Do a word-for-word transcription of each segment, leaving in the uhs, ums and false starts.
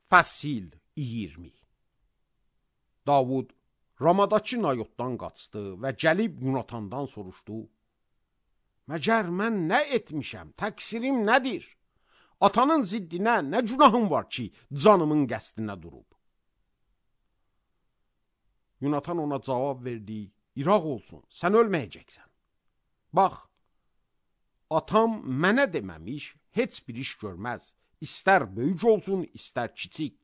Fəsil iyirmi. Davud Ramadakı Nayotdan qaçdı və gəlib Yunatandan soruşdu: Məgər mən nə etmişəm, təqsirim nədir? Atanın ziddinə nə günahım var ki, canımın qəsdinə durub? Yunatan ona cavab verdi: İraq olsun, sən ölməyəcəksən. Bax, atam mənə deməmiş, heç bir iş görməz. İstər böyük olsun, istər kiçik.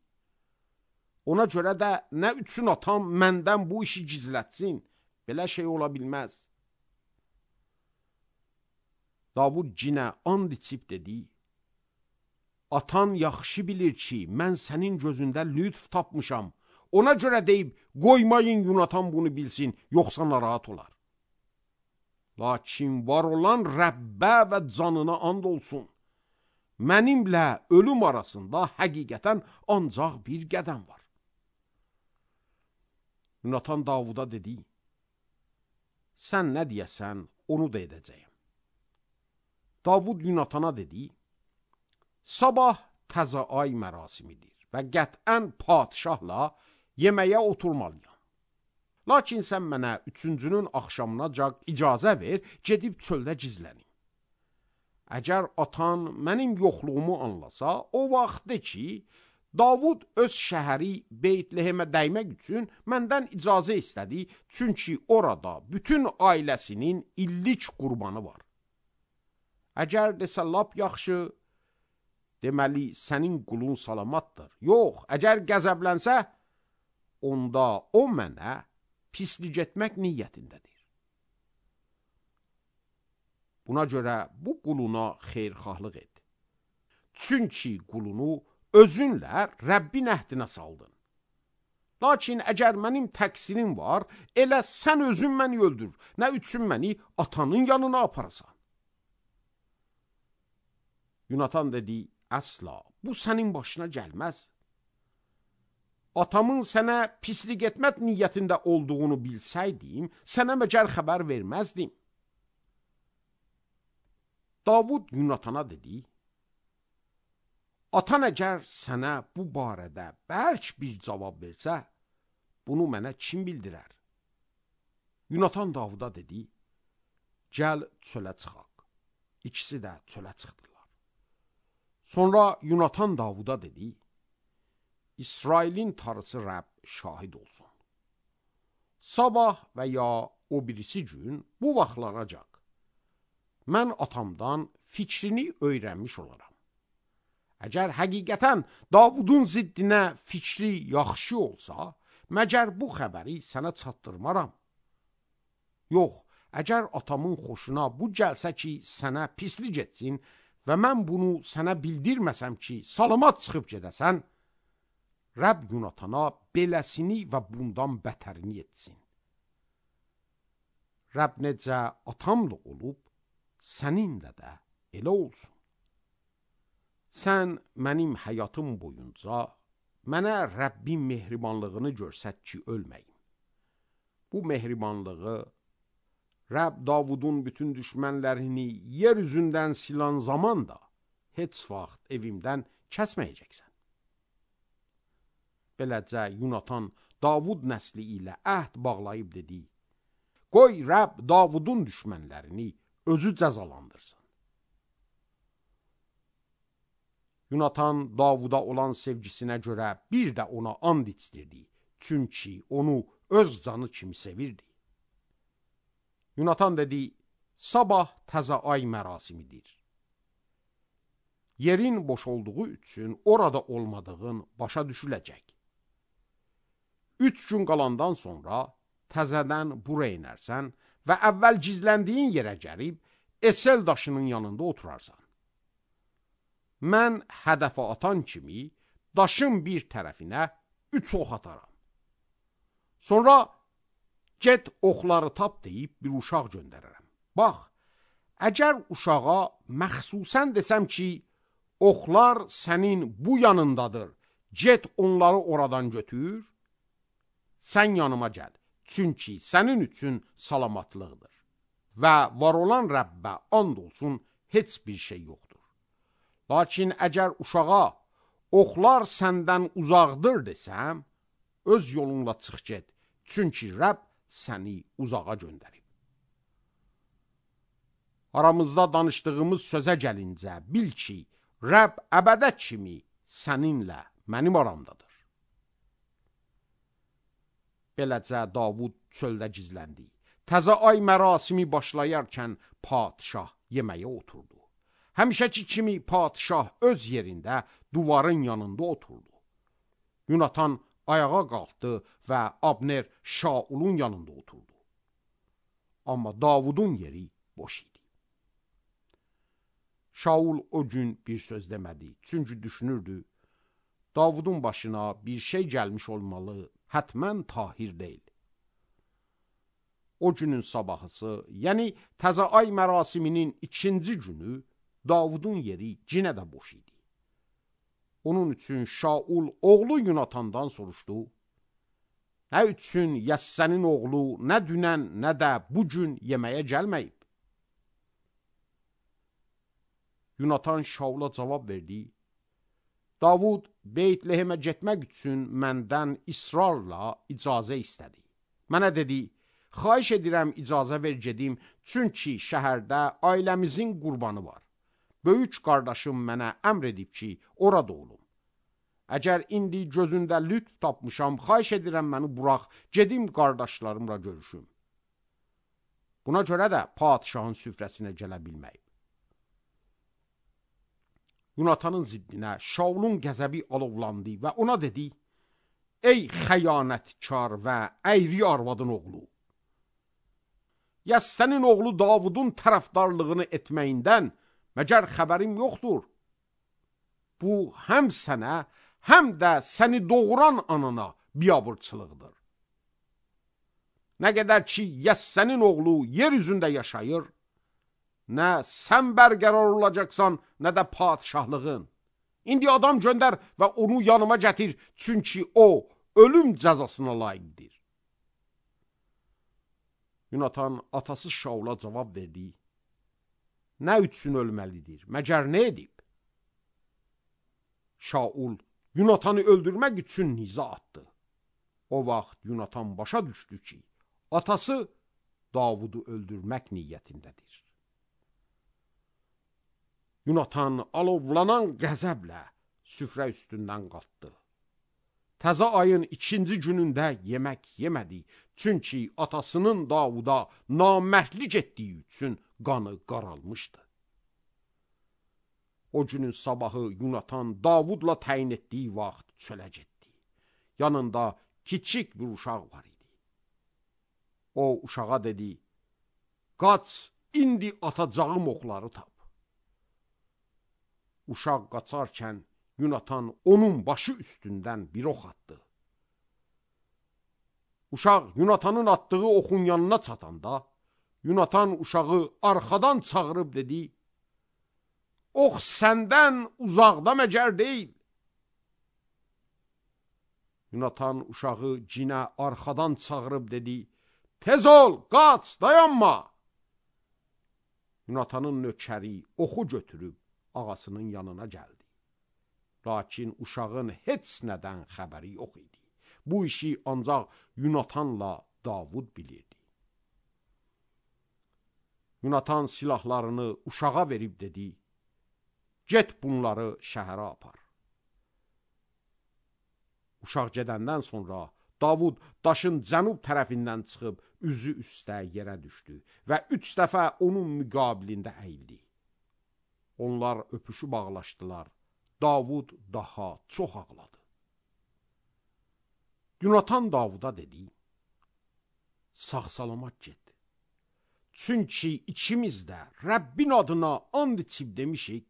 Ona görə də nə üçün atam məndən bu işi gizlətsin? Belə şey ola bilməz. Davud cinə and içib dedi: Atan yaxşı bilir ki, mən sənin gözündə lütf tapmışam. Ona görə deyib, qoymayın Yunatan bunu bilsin, yoxsa narahat olar. Lakin var olan Rəbbə və canına and olsun. Mənimlə ölüm arasında həqiqətən ancaq bir qədəm var. Yunatan Davuda dedi: Sən nə deyəsən, onu da edəcəyim. Davud Yunatana dedi: Sabah təzə ay mərasimidir və qətən padişahla yeməyə oturmalıyam. Lakin sən mənə üçüncünün axşamınacan icazə ver, gedib çöldə gizlənim. Əgər atan mənim yoxluğumu anlasa, o vaxt de ki, Davud öz şəhəri Beytlehemə dəymək üçün məndən icazə istədi, çünki orada bütün ailəsinin illik qurbanı var. Əgər desə lap yaxşı, deməli sənin qulun salamatdır. Yox, əgər qəzəblənsə, onda o mənə pislik etmək niyyətindədir. Buna görə bu quluna xeyrxahlıq et. Çünki qulunu özünlə Rəbbin əhdinə saldın. Lakin əgər mənim təqsirim var, elə sən özün məni öldür, nə üçün məni atanın yanına aparasan? Yunatan dedi: Əsla, bu sənin başına gəlməz. Atamın sənə pislik etmək niyyətində olduğunu bilsəydim, sənə məgər xəbər verməzdim. Davud Yunatana dedi: Atan əgər sənə bu barədə bərk bir cavab versə, bunu mənə kim bildirər? Yunatan Davuda dedi: Gəl çölə çıxaq. İkisi də çölə çıxdılar. Sonra Yunatan Davuda dedi: İsrailin Tanrısı Rəbb şahid olsun. Sabah və ya o birisi gün bu vaxtlaracaq mən atamdan fikrini öyrənmiş olaram. Əgər həqiqətən Davudun ziddinə fikri yaxşı olsa, məgər bu xəbəri sənə çatdırmaram. Yox, əgər atamın xoşuna bu gəlsə ki, sənə pislik etsin və mən bunu sənə bildirməsəm ki, salamat çıxıb gedəsən, Rəbb Yunatana beləsini və bundan bətərini etsin. Rəbb necə atamla olub, səninlə də elə olsun. Sən mənim həyatım boyunca mənə Rəbbin mehribanlığını görsət ki, ölməyim. Bu mehribanlığı Rəbb Davudun bütün düşmənlərini yer üzündən silan zaman da heç vaxt evimdən kəsməyəcəksən. Beləcə Yunatan Davud nəsli ilə əhd bağlayıb dedi: Qoy Rəbb Davudun düşmənlərini özü cəzalandırsın. Yunatan Davuda olan sevgisinə görə bir də ona and içdirdi, çünki onu öz canı kimi sevirdi. Yunatan dedi: Sabah təzə ay mərasimidir. Yerin boş olduğu üçün orada olmadığın başa düşüləcək. Üç gün qalandan sonra təzədən bura inərsən və əvvəl gizləndiyin yerə gəlib Esel daşının yanında oturarsan. Mən hədəfə atan kimi daşın bir tərəfinə üç ox ataram. Sonra get oxları tap deyib bir uşaq göndərərəm. Bax, əgər uşağa məxsusən desəm ki, oxlar sənin bu yanındadır, get onları oradan götür, sən yanıma gəl, çünki sənin üçün salamatlıqdır. Və var olan Rəbbə and olsun, heç bir şey yoxdur. Lakin əgər uşağa oxlar səndən uzaqdır desəm, öz yolunla çıx get, çünki Rəbb səni uzağa göndərib. Aramızda danışdığımız sözə gəlincə, bil ki, Rəbb əbədə kimi səninlə mənim aramdadır. Beləcə Davud çöldə gizləndi. Təzə ay mərasimi başlayarkən padişah yeməyə oturdu. Həmişəki kimi padişah öz yerində duvarın yanında oturdu. Yonatan ayağa qalxdı və Abner Şaulun yanında oturdu. Amma Davudun yeri boş idi. Şaul o gün bir söz demədi, çünki düşünürdü, Davudun başına bir şey gəlmiş olmalı, hətmən Tahir deyil. O günün sabahısı, yəni təzə ay mərasiminin ikinci günü, Davudun yeri cinə də boş idi. Onun üçün Şaul oğlu Yonatandan soruşdu, nə üçün Yəssənin oğlu nə dünən, nə də bugün yeməyə gəlməyib? Yonatan Şaula cavab verdi, Davud Beytlehemə getmək üçün məndən israrla icazə istədi. Mənə dedi, xahiş edirəm icazə ver gedim, çünki şəhərdə ailəmizin qurbanı var. Böyük qardaşım mənə əmr edib ki, orada olum. Əgər indi gözündə lütf tapmışam, xahiş edirəm məni burax, gedim qardaşlarımla görüşüm. Buna görə də padişahın süfrəsinə gələ bilməyib. Yonatanın ziddinə Şaulun qəzəbi alovlandı və ona dedi, ey xəyanətkar və əyri arvadın oğlu, Yəssənin oğlu Davudun tərəfdarlığını etməyindən məgər xəbərim yoxdur? Bu, həm sənə, həm də səni doğuran anana biabırçılıqdır. Nə qədər ki, Yəssənin oğlu yer üzündə yaşayır, nə sən bərqərar olacaqsan, nə də padişahlığın. İndi adam göndər və onu yanıma gətir, çünki o, ölüm cəzasına layiqdir. Yonatan atası Şaula cavab verdi, nə üçün ölməlidir, məgər nə edib? Şaul Yonatanı öldürmək üçün nizə atdı. O vaxt Yonatan başa düşdü ki, atası Davudu öldürmək niyyətindədir. Yonatan alovlanan qəzəblə süfrə üstündən qalxdı. Təzə ayın ikinci günündə yemək yemədi, çünki atasının Davuda namərdlik etdiyi üçün qanı qaralmışdı. O günün sabahı Yonatan Davudla təyin etdiyi vaxt çölə getdi. Yanında kiçik bir uşaq var idi. O uşağa dedi, qaç, indi atacağım oxları tap. Uşaq qaçarkən Yonatan onun başı üstündən bir ox atdı. Uşaq Yonatanın atdığı oxun yanına çatanda, Yonatan uşağı arxadan çağırıb dedi, ox səndən uzaqda məgər deyil. Yonatan uşağı cinə arxadan çağırıb dedi, tez ol, qaç, dayanma. Yonatanın nökəri oxu götürüb ağasının yanına gəldi. Lakin uşağın heç nədən xəbəri yox idi. Bu işi ancaq Yonatanla Davud bilirdi. Yonatan silahlarını uşağa verib dedi, get bunları şəhərə apar. Uşaq gedəndən sonra Davud daşın cənub tərəfindən çıxıb üzü üstə yerə düşdü və üç dəfə onun müqabilində əyildi. Onlar öpüşü bağlaşdılar. Davud daha çox ağladı. Yonatan Davuda dedi, sağ-salamat get. Çünki ikimiz də Rəbbin adına and içib demişik,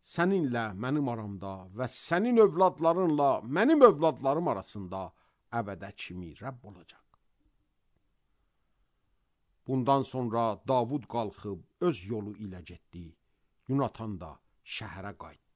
səninlə mənim aramda və sənin övladlarınla mənim övladlarım arasında əbədə kimi Rəbb olacaq. Bundan sonra Davud qalxıb öz yolu ilə getdi. Yonatan da şəhərə qayıtdı.